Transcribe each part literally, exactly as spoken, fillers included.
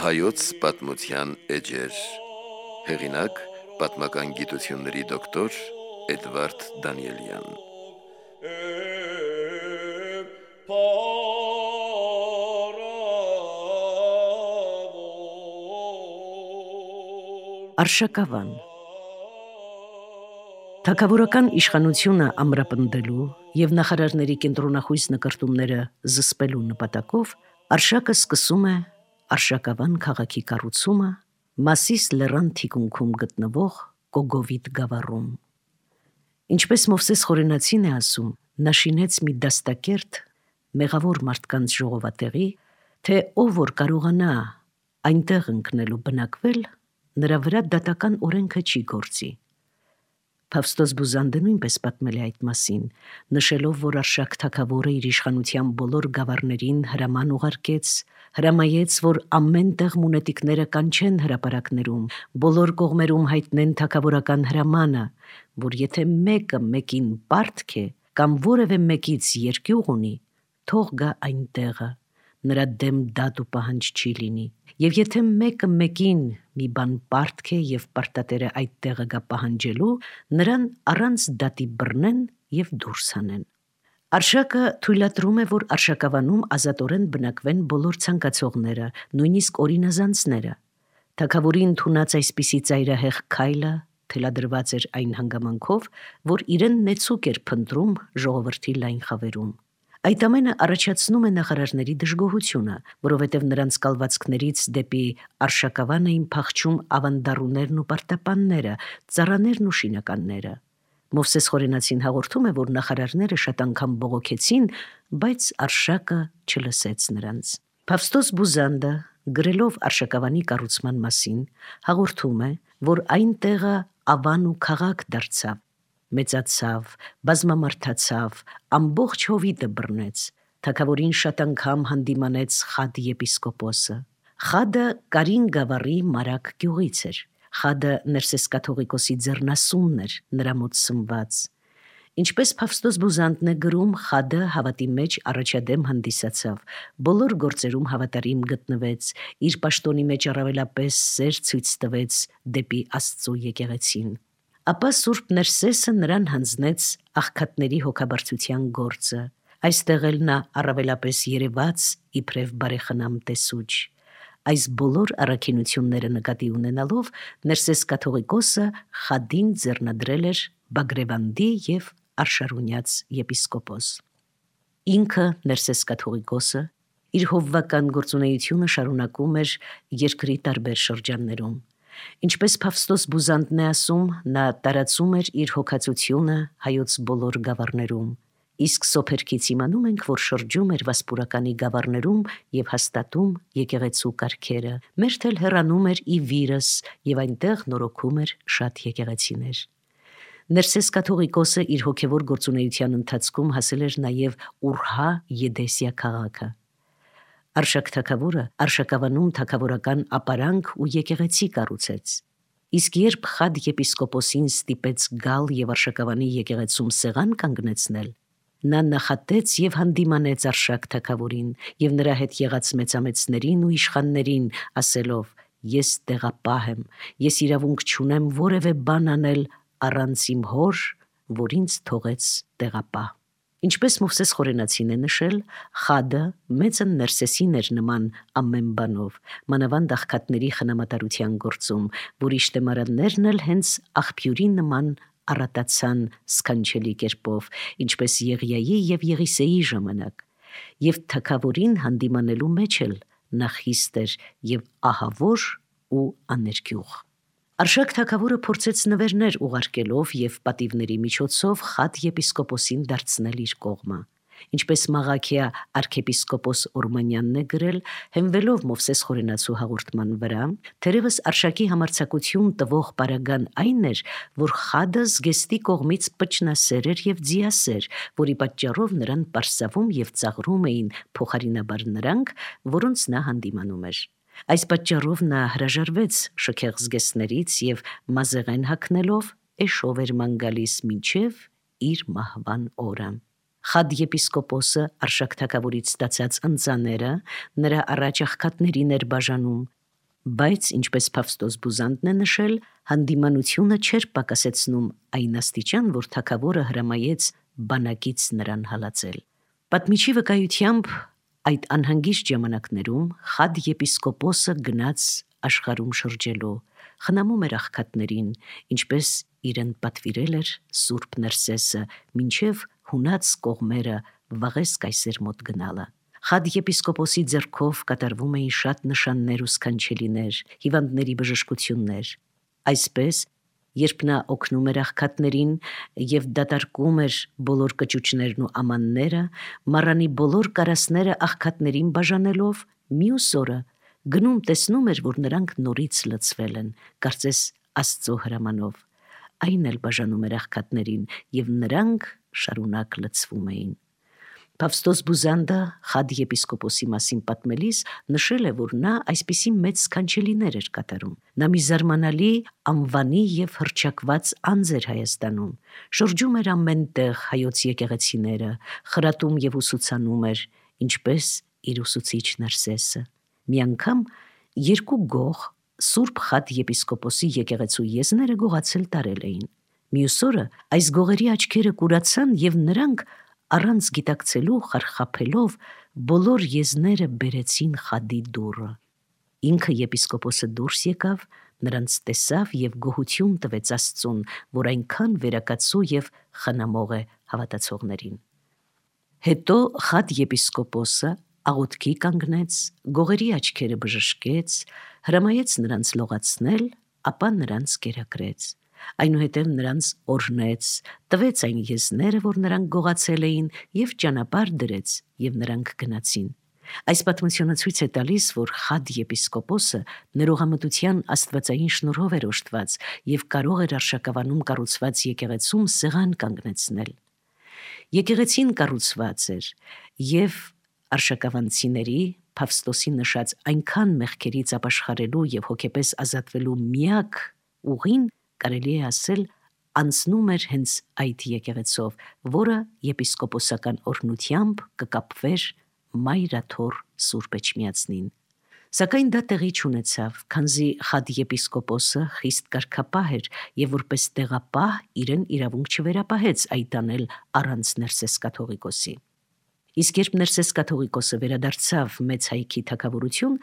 Հայոց պատմության էջեր։ Հեղինակ՝ պատմական գիտությունների դոկտոր Էդվարդ Դանիելյան։ Արշակավան Թագավորական իշխանությունը ամրապնդելու և նախարարների կենտրոնախույս նկրտումները զսպելու նպատակով Արշակը սկսում է Արշակավան քաղաքի կառուցումը Մասիս լեռան թիկունքում գտնվող Կոգովիտ գավառում։ Ինչպես Մովսես Խորենացին է ասում, նա շինեց մի դաստակերտ մեղավոր մարդկանց ժողովատեղի, թե ով որ կարողանա այնտեղ ընկնել ու բնակվել, նրա վրա դատական օրենքը չի գործի։ Փավստոս Բուզանդը նույնպես պատմել է այդ մասին, նշելով, որ Արշակ թագավորը իր իշխանության բոլոր գավառներին հրաման ուղարկեց, հրամայեց, որ ամեն տեղ մունետիկները կանչեն հրապարակներում, բոլոր կողմերում հայտնեն թագավորական հրամանը, որ եթե մեկը մեկին պարտք է կամ որևէ մեկից երկյուղ ունի, թող գա այն տեղը, նրա դեմ դատ ու պահանջ չի լինի, և եթե մեկը մեկին մի բան պարտք է և պարտատերը այդ տեղը գա պահանջելու, նրան առանց դատի բռնեն և դուրս հանեն։ Արշակը թույլատրում է, որ Արշակավանում ազատորեն բնակվեն բոլոր ցանկացողները, նույնիսկ օրինազանցները։ Թագավորի ընդունած այսպիսի ծայրահեղ քայլը թելադրված էր այն հանգամանքով, որ իրեն նեցուկ էր փնտրում ժողովրդի լայն խավերում։ Այդ ամենը առաջացնում է նախարարների դժգոհությունը, որովհետև նրանց կալվածքներից դեպի Արշակավան էին փախչում ավանդառուներն ու պարտապանները, ծառաներն ու շինականները։ Մովսես Խորենացին հաղորդում է, որ նախարարները շատ անգամ բողոքեցին, բայց Արշակը չլսեց նրանց։ Փավստոս Բուզանդը, գրելով Արշակավանի կառուցման մասին, հաղորդում է, որ այն տեղը ավան ու քաղաք դարձավ, մեծացավ, բազմամարդացավ, ամբողջ Հովիտը բռնեց, թագավորին շատ անգամ հանդիմանեց Խադ եպիսկոպոսը։ Խադը Կարին գավառի Մարակ գյուղից էր։ Խադը Ներսես կաթողիկոսի ձեռնասունն էր, նրա մոտ սնված։ Ինչպես Փավստոս Բուզանդն է գրում, Խադը հավատի մեջ առաջադեմ հանդիսացավ, բոլոր գործերում հավատարիմ գտնվեց, իր պաշտոնի մեջ առավելապես սեր ցույց տվեց դեպի Աստծո եկեղեցին։ Ապա Սուրբ Ներսեսը նրան հանձնեց աղքատների հոգաբարձության գործը։ Այստեղ էլ նա առավելապես երևաց իբրև բարեխնամ տեսուչ։ Այս բոլոր առաքինությունները նկատի ունենալով Ներսես կաթողիկոսը Խադին ձեռնադրել էր Բագրևանդի և Արշարունյաց եպիսկոպոս։ Ինքը Ներսես կաթողիկոսը իր հովվական գործունեությունը շարունակում էր երկրի տարբեր շրջաններում։ Ինչպես Փավստոս Բուզանդն է ասում, նա տարածում էր իր հոգածությունը հայոց բոլոր գավառներում, իսկ սոփերքից իմանում ենք, որ շրջում էր Վասպուրականի գավառներում և հաստատում եկեղեցու կարգերը, մերթ էլ հեռանում էր ի Վիրս և այնտեղ նորոգում էր շատ եկեղեցիներ։ Ներսես կաթողիկոսը իր հոգևոր գործունեության ընթացքում հասել էր նաև Ուրհա Եդեսիա քաղաքը։ Արշակ թագավորը Արշակավանում թագավորական ապարանք ու եկեղեցի կառուցեց։ Իսկ երբ Խադ եպիսկոպոսին ստիպեց գալ և Արշակավանի եկեղեցում սեղան կանգնեցնել, նա նախատեց և հանդիմանեց Արշակ թագավորին և նրա հետ եղած մեծամեծներին ու իշխաններին, ասելով. «Ես տեղապահ եմ, ես իրավունք չունեմ որևէ բան անել առանց իմ հոր, որ ինձ թողեց տեղապահ»։ Ինչպես Մովսես Խորենացին է նշել, Խադը մեծը Ներսեսին էր նման ամեն բանով, մանավանդ աղքատների խնամատարության գործում, որի շտեմարաններն էլ հենց աղբյուրի նման առատացան սքանչելի կերպով, ինչպես Եղիայի և Եղիսեի ժամանակ, և թագավորին հանդիմանելու մեջ էլ նա խիստ էր և ահավոր ու աներկյուղ։ Արշակ թագավորը փորձեց նվերներ ուղարկելով և պատիվների միջոցով Խադ եպիսկոպոսին դարձնել իր կողմը։ Ինչպես Մաղաքիա արքեպիսկոպոս Օրմանյանն է գրել, հենվելով Մովսես Խորենացու հաղորդման վրա, թերևս Արշակի համարձակություն տվող պարագան այն էր, որ Խադը զգեստի կողմից պճնասեր էր և ձիասեր, որի պատճառով նրան պարսավում և ծաղրում էին փոխարինաբար նրանք, որոնց նա հանդիմանում էր։ Այս պատճառով նա հրաժարվեց շքեղ զգեստներից և մազեղեն հագնելով էշով էր ման գալիս մինչև իր մահվան օրը։ Խադ եպիսկոպոսը Արշակ թագավորից ստացած ընծաները նրա առաջ աղքատներին էր բաժանում Բայց, ինչպես Փավստոս Բուզանդն է նշել, հանդիմանությունը չէր պակասեցնում այն աստիճան, որ թագավորը հրամայեց բանակից նրան հալածել։ Պատմիչի վկայությամբ այդ անհանգիստ ժամանակներում Խադ եպիսկոպոսը գնաց աշխարհում շրջելու, խնամում էր աղքատներին, ինչպես իրեն պատվիրել էր Սուրբ Ներսեսը, մինչև հունած կողմերը Վաղես կայսեր մոտ գնալը։ Խադ եպիսկոպոսի ձեռքով կատարվում էին շատ նշաններ ու սքանչելիներ, հիվանդների բժշկություններ։ Այսպես, երբ նա օգնում էր աղքատներին եւ դատարկում էր բոլոր կճուճներն ու ամանները, մառանի բոլոր կարասները աղքատներին բաժանելով, մյուս օրը գնում տեսնում էր, որ նրանք նորից լցվել են, կարծես Աստծո հրամանով։ Այն էլ բաժանում էր աղքատներին, եւ նրանք շարունակ լցվում էին։ Փավստոս Բուզանդը Խադ եպիսկոպոսի մասին պատմելիս նշել է, որ նա այսպիսի մեծ սքանչելիներ էր կատարում։ Նա մի զարմանալի անվանի եւ հռչակված անձ էր Հայաստանում, շրջում էր ամենտեղ հայոց եկեղեցիները, խրատում եւ ուսուցանում էր, ինչպես իր ուսուցիչ Ներսեսը։ Մի անգամ երկու գող Սուրբ Խադ եպիսկոպոսի եկեղեցու եզները գողացել տարել էին։ Մյուս օրը այս գողերի աչքերը կուրացան եւ նրանք առանց գիտակցելու խարխափելով բոլոր եզները բերեցին Խադի դուռը։ Ինքը եպիսկոպոսը դուրս եկավ, նրանց տեսավ եւ գոհություն տվեց Աստծուն, որ այնքան վերակացու եւ խնամող է հավատացողներին։ Հետո Խադ եպիսկոպոսը աղոթքի կանգնեց, գողերի աչքերը բժշկեց, հրամայեց նրանց լողացնել, ապա նրանց կերակրեց։ Այնուհետև նրանց օրհնեց, տվեց այն եզները, որ նրանք գողացել էին, եւ ճանապարհ դրեց, եւ նրանք գնացին։ Այս պատմությունը ցույց է տալիս, որ Խադ եպիսկոպոսը ներողամտության աստվածային շնորհով էր օժտված եւ կարող էր Արշակավանում կառուցված եկեղեցում սեղան կանգնեցնել։ Եկեղեցին կառուցված էր եւ արշակավանցիների Փավստոսի նշած այնքան մեղքերից ապաշխարելու եւ հոգեպես ազատվելու միակ ուղին, կարելի է ասել, անցնում էր հենց այդ եկեղեցով, որը եպիսկոպոսական օրհնությամբ կկապվեր Մայրաթոր Սուրբ Էջմիածնին։ Սակայն դա տեղի չունեցավ, քանզի Խադ եպիսկոպոսը խիստ կարգապահ էր եւ որպես տեղապահ իրեն իրավունք չվերապահեց այդ անել առանց Ներսես կաթողիկոսի։ Իսկ երբ Ներսես կաթողիկոսը վերադարձավ մեծ հայքի թագավորություն,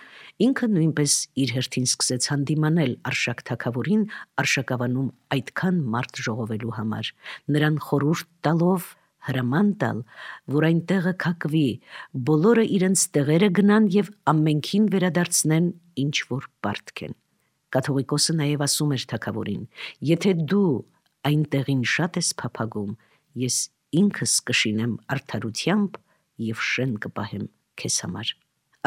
ինքը նույնպես իր հերթին սկսեց հանդիմանել Արշակ թագավորին Արշակավանում այդքան մարդ ժողովելու համար, նրան խորհուրդ տալով հրաման տալ, որ այն տեղը քակվի, բոլորը իրենց տեղերը գնան եւ ամենքին վերադարձնեն ինչ որ պարտք են։ Կաթողիկոսը նաեւ ասում էր թագավորին. «Եթե դու այն տեղին շատ ես փափագում, ես ինքս կշինեմ արդարությամբ եւ շեն կպահեմ քեզ համար»։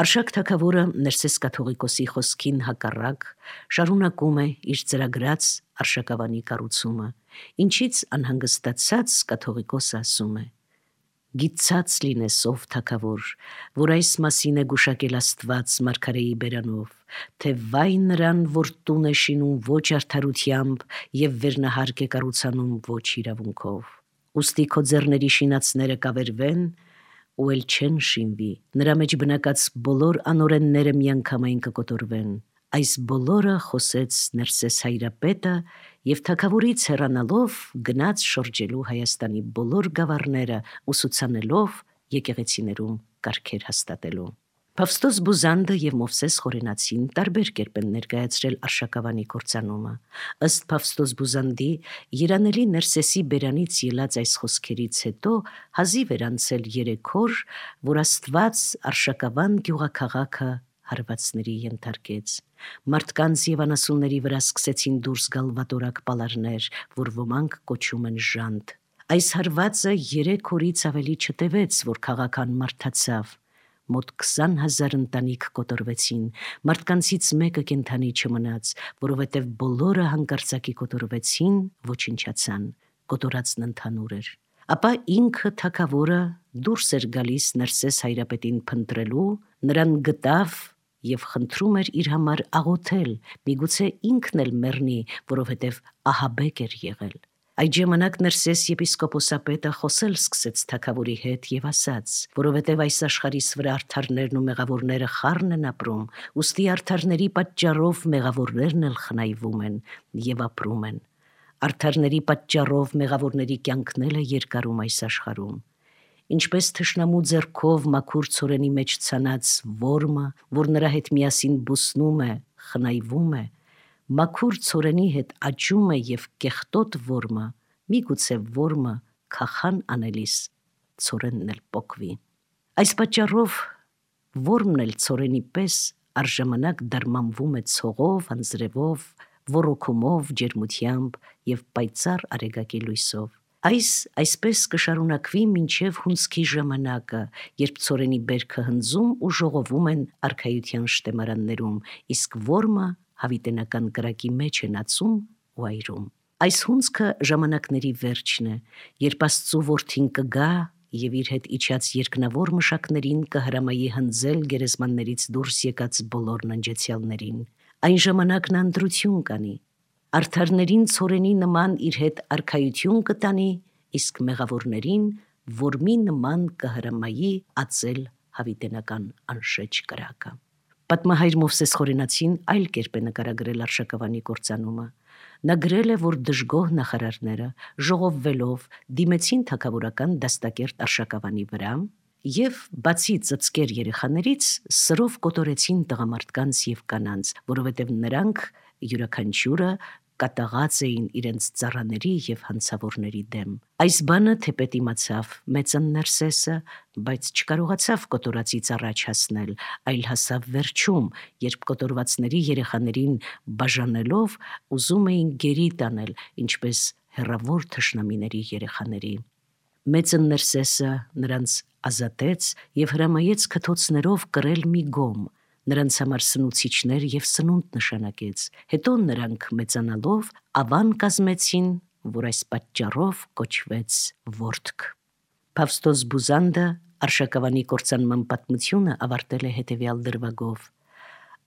Արշակ թագավորը Ներսես կաթողիկոսի խոսքին հակառակ շարունակում է իր ծրագրած Արշակավանի կառուցումը, ինչից անհանգստացած կաթողիկոսը ասում է. «Գիծած լինես ով թագավոր, որ այս մասին է գուշակել Աստված մարգարեի բերանով, թե վայ նրան, որ տուն է շինում ոչ արդարությամբ եւ վերնահարկ է կառուցանում ոչ իրավունքով։ Ուստի քո ձեռների շինածները կավերվեն ու էլ չեն շինվի, նրա մեջ բնակած բոլոր անօրենները միանգամայն կկոտորվեն»։ Այս բոլորը խոսեց Ներսես հայրապետը եւ թագավորից հեռանալով գնաց շրջելու Հայաստանի բոլոր գավառները, ուսուցանելով եկեղեցիներում կարգեր հաստատելու։ Փավստոս Բուզանդը եւ Մովսես Խորենացին տարբեր կերպ են ներկայացրել Արշակավանի կործանումը։ Ըստ Փավստոս Բուզանդի, երանելի Ներսեսի բերանից ելած այս խոսքերից հետո հազիվ էր անցել երեք օր, որ Աստված Արշակավան գյուղաքաղաքը հարվածների ենթարկեց։ Մարդկանց եւ անասունների վրա սկսեցին դուրս գալ վատորակ պալարներ, որ ոմանք կոչում են ժանտ։ Այս հարվածը երեք օրից ավելի չտևեց, որ քաղաքան մարդացավ։ Մոտ քսան հազար ընտանիք կոտորվեցին, մարդկանցից մեկը կենդանի չմնաց, որովհետև բոլորը հանկարծակի կոտորվեցին, ոչնչացան, կոտորածն ընդհանուր էր։ Ապա ինքը թագավորը դուրս էր գալիս Ներսես հայրապետին փնտրելու, նրան գտավ եւ խնդրում էր իր համար աղոթել, միգուցե ինքն էլ մեռնի, որովհետև ահաբեկ էր եղել։ Այդ ժամանակ Ներսես եպիսկոպոսապետը խոսել սկսեց թագավորի հետ եւ ասաց, որովհետեւ այս աշխարհիս վրա արդարներն ու մեղավորները խառն են ապրում, ուստի արդարների պատճառով մեղավորներն էլ խնայվում են եւ ապրում են։ Արդարների պատճառով մեղավորների կյանքն էլ է երկարում այս աշխարհում։ Ինչպես թշնամու ձեռքով մաքուր ցորենի մեջ ցանած որմը, որ նրա հետ միասին բուսնում է, խնայվում է, մաքուր ցորենի հետ աճում է եւ կեղտոտ որմը, միգուցե որմը քախան անելիս ցորենն էլ պոկվի։ Այս պատճառով որմն էլ ցորենի պես առժամանակ դարմանվում է ցողով, անձրևով, ոռոգումով, ջերմությամբ եւ պայծառ արեգակի լույսով։ Այս այսպես կշարունակվի մինչև հունձքի ժամանակը, երբ ցորենի բերքը հնձում ու ժողովում են արքայության շտեմարաններում, իսկ որմը հավիտենական կրակի մեջ է ածում ու այրում։ Այս հունձքը ժամանակների վերջն է, երբ Աստծու որդին կգա եւ իր հետ իջած երկնավոր մշակներին կհրամայի հնձել գերեզմաններից դուրս եկած բոլոր ննջեցյալներին։ Այն ժամանակն անդրություն կանի։ Արդարներին ցորենի նման իր հետ արքայություն կտանի, իսկ մեղավորներին որմի նման կհրամայի ածել հավիտենական անշեջ կրակը։ Պատմահայր Մովսես Խորենացին այլ կերպ է նկարագրել Արշակավանի կործանումը։ Նա գրել է, որ դժգոհ նախարարները ժողովվելով դիմեցին թագավորական դաստակերտ Արշակավանի վրա եւ բացի ծծկեր երեխաներից սրով կոտորեցին տղամարդկանց եւ կանանց, որովհետեւ նրանք յուրաքանչյուրը կատաղած էին իրենց ծառաների եւ հանցավորների դեմ։ Այս բանը թեպետ իմացավ մեծն Ներսեսը, բայց չկարողացավ կոտորածից առաջ հասնել, այլ հասավ վերջում, երբ կոտորվածների երեխաներին բաժանելով ուզում էին գերի տանել, ինչպես հեռավոր թշնամիների երեխաների։ Մեծն Ներսեսը նրանց ազատեց եւ հրամայեց քթոցներով կրել մի գոմ, նրանց համար սնուցիչներ եւ սնունդ նշանակեց։ Հետո նրանք մեծանալով ավան կազմեցին, որ այս պատճառով կոչվեց Որդք։ Փավստոս Բուզանդը Արշակավանի կործանման պատմությունը ավարտել է հետևյալ դրվագով.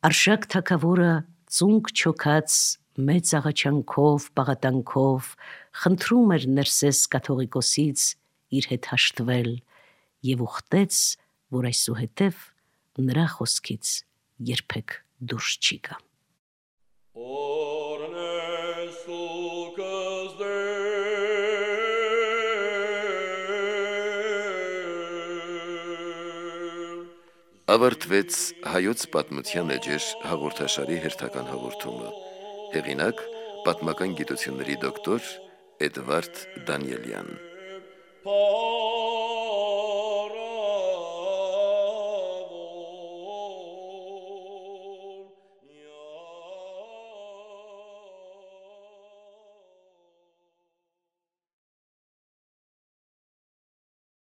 Արշակ թագավորը ծունկ չոքած մեծ աղաչանքով, պաղատանքով խնդրում էր Ներսես կաթողիկոսից իր հետ հաշտվել եւ ուխտեց, որ այսուհետև նրա խոսքից երբեք դուրս չի գա։ Ավարտվեց հայոց պատմության էջեր հաղորդաշարի հերթական հաղորդումը։ Հեղինակ պատմական գիտությունների դոկտոր Էդվարդ Դանիելյան։